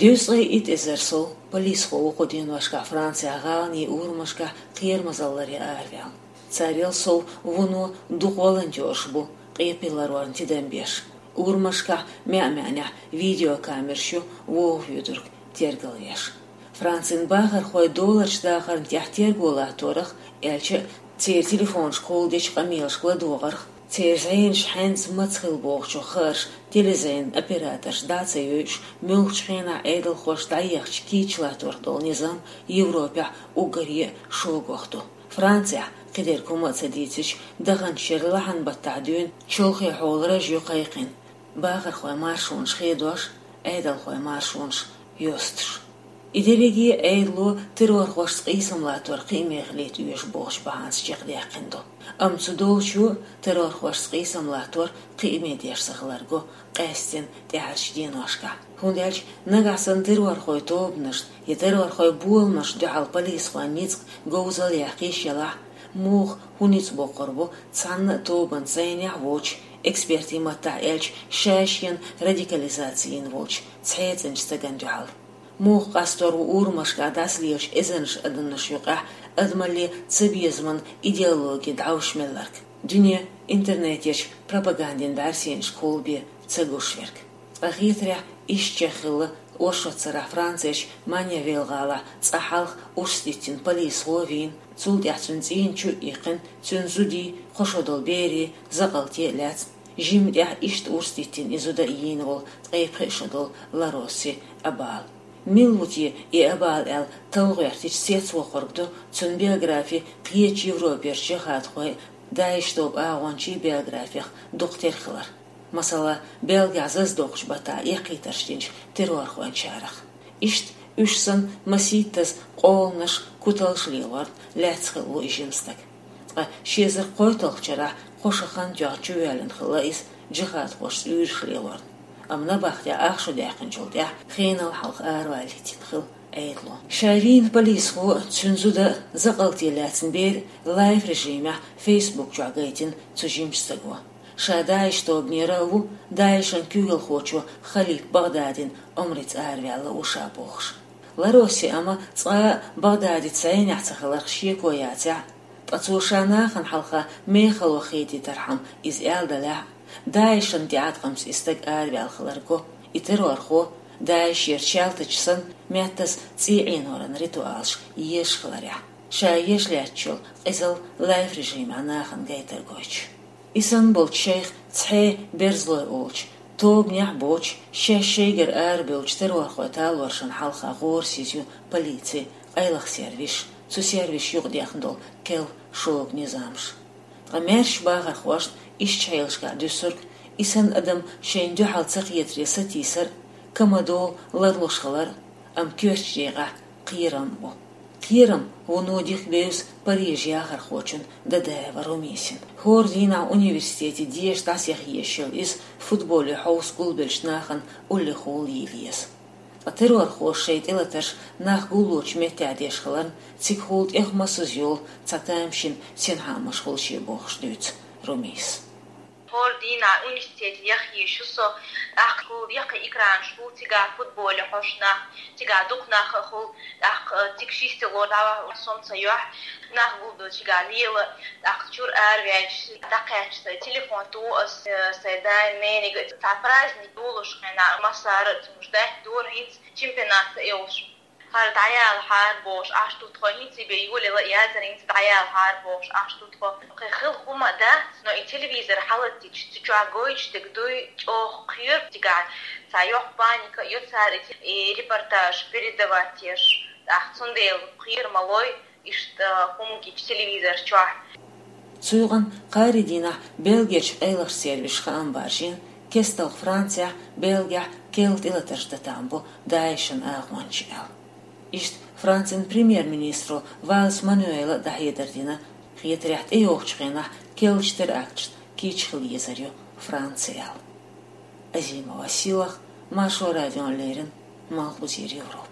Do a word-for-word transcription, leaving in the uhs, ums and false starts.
Дезткъеи итт эзар сов полисхо ву кху деношкахь Францехь гӀаланийн урамашкахь кхерамазалле араваьлла. Царел сов вуно дукха волонтерш бу, къепе ларорна тидам беш. Урамашкахь маьӀ-маьӀнехь видеокамераш ю вогӀу вуьйцург тергалвеш. Францин бахархой доллараш дахарна тӀехь терго латторах, аьлча а, церан телефонашкахула дечу къамелашка ладогӀарх, церан зӀенаш хьаьнца маца хилла бохучух хаарш телезӀенан операторша дӀа а ца йойуш, муьлххачу хенахь Ӏедалхоша дӀаехачу кийча латторах долу низам Европехь уггаре а шогах ду. Францехь, кхидерг хӀума а ца дийцича, даханчу шеран лахьан баттахь дуьйна чолхе хьолараш ю кхайкхина, бахархойн маршонаш хедош, Ӏедалхойн маршонаш йостуш. И дерриге а Ӏедало террорхошца къийсам латтор кхиаме хилийта оьшу бохучу бахьанца чекхдаьккхина ду. Амма цу долчо террорхошца къийсам латтор кхиаме деш ца хиларг го къаьсттина тӀаьхьарчу деношкахь. ХӀунда аьлча нагахь санна террорхойн тобанашна я террорхойн боламашна дуьхьал полисхойн ницкъ говзалла яккха йиш ялахь, муха хӀун ницкъ боккхур бу цхьанна а тобанца зӀенехь а воцуш, экспертийн маттахь аьлча, ша-шена радикализаци йина волчу цхьаьццанчу стагана дуьхьал? Муха къастор ву урамашкахь дӀасалелаш эзарнаш адамаш юкъахь адамалле цабезаман идеологи дӀовш мелларг, дуьне интернетехь пропагандин бӀаьрсенашкахула бен ца гуш верг? Ткъа хетарехь, иштта чекхъелла оршот сарахь Францерчу Манья-Виль гӀалахь цкъа хьалха урс диттина полисхо а вийна, цул тӀаьхьа цуьнан цӀийнан чу а иккхина, цуьнан зудий, кхо шо долу берий закъалте а лаьцна, жимма тӀехь иштта урс диттина и зуда а йийна волу ткъе пхи шо долу Лароси Абал. Мила ву те и Абал аьлла талла гӀоьртича, цецвоккхург ду цуьнан биографи кхечу Европерчу жихӀадхойн, ДАИШ тобан агӀончийн биографех дукха тера хилар. Масала, Бельгехь зазадоккхучу баттахь эккхийтарш динчу террорхойн чарах. Иштта уьш санна масийттаза къоланаш, куталш лелорна лаьцна хилла ву и жима стаг. Ткъа ши эзар кхойтталгӀачу шарахь кхо шо хан тоьхна чувоьллина хилла иза, жихӀадхошца уьйраш лелорна. Амма набахтехь ах шо даьккхинчул тӀаьхьа хенал хьалха аравалийтина хилла Ӏедало. Ша вийна полисхо а, цуьнан зуда а закъалте лаьцна бер лайв режимехь Facebook чохь гайтина цу жимачу стаго. Ша ДАИШ тобанера а ву, ДАИШан куьйгалхочо Халип Багъдадин омрица араваьлла ву ша бохуш. Лароси Абал цкъа а Багъдадица зӀенехь ца хиларх шеко яцахь а, ткъа цо ша нахана хьалха мехала ваха хетийтархьама иза аьлла делахь а, ДАИШан тӀеӀаткъамца и стаг араваьлла хиларг го, и террорхо, ДАИШера чалтача санна, меттаза цӀий Ӏеноран ритуалаш езаш хиларехь, ша еш лаьтташ йолу къизалла лайв режимехь нахана гайтар гойтуш. И санна болчу шайх цхьа берзалой олучу, тобанехь а боцуш, шаьш шайгара арабевллачу террорхойн талоршна хьалха гӀорасиз ю полици, къайлаха сервисаш, цу сервисаша юкъадехна долу керла шога низамаш. Ткъа маьрша бахархошна иштачу хьелашкахь дуьсург, и санна адам шайна дуьхьал ца кхетаре сатийсар а, камадолу ларлуш хилар а, амма коьртачу декъехь кхерам а бу. Кхерам вуно дика бевза Парижан яхархочун Дадаева Румисин. ХӀора дийнахь университете деша дӀасаяха езаш йолу иза футболе хьовса гулбеллачу нахана уллехула йийла еза. Ткъа террорхоша шайн тӀелатарш нах гуллучу меттехь деш хиларна, цигахула тӀех массаза йолу цхьа тамашийна синхаамаш хуьлу шен бохуш дуьйцу Румис. ХӀора дийнахь университете яха езаш ю со, тӀаккха хӀума яккхий экранаш хуьлу, цигахь футболе хьожуш нах, цигахь дукха нах а хуьлу, тӀаккха цига ши стело дӀавахана сом ца йохь, нах гулбелла цигахь лела, тӀаккха чуьра араваьлча, дӀакхаьчча сайн телефон туху ас, э, сайн дайн, нениг. Цхьа праздник долуш хенахь массара а цунаш даьтта дора, хӀинца чемпионат а йолуш. ХӀара дӀаялахьара бохуш Ӏаш ду тхо, хӀинца и бен йолаелла а яцара, хӀинца дӀаялахьара бохуш Ӏаш ду тхо. Кхин хила хӀума а дац, но и телевизор хьалаттича, цу чохь гойтуш дерг дуй, чӀогӀа кхоьру цигахь, цхьа йоккха паника а ю цара и, и репортаж передавать еш, тӀаккха цундела кхера ма лой, иштта хӀума гича телевизор чохь. Цу юкъанна кхаарин дийнахь Бельгерчу къайлахчу сервисаша хаам баржийна, кестта Францехь, Бельгехь керла тӀелатарш датахь бу ДАИШан агӀончаш аьлла. Иштта Францин премьер-министро Вальс Мануэла дӀахьедар дина, хетарехь тӀейогӀучу хенахь керлачу теракташна кийча хила езар ю Франци аьлла. Азимова Силах, Маршо радиона леррина, Малхбузера Европа.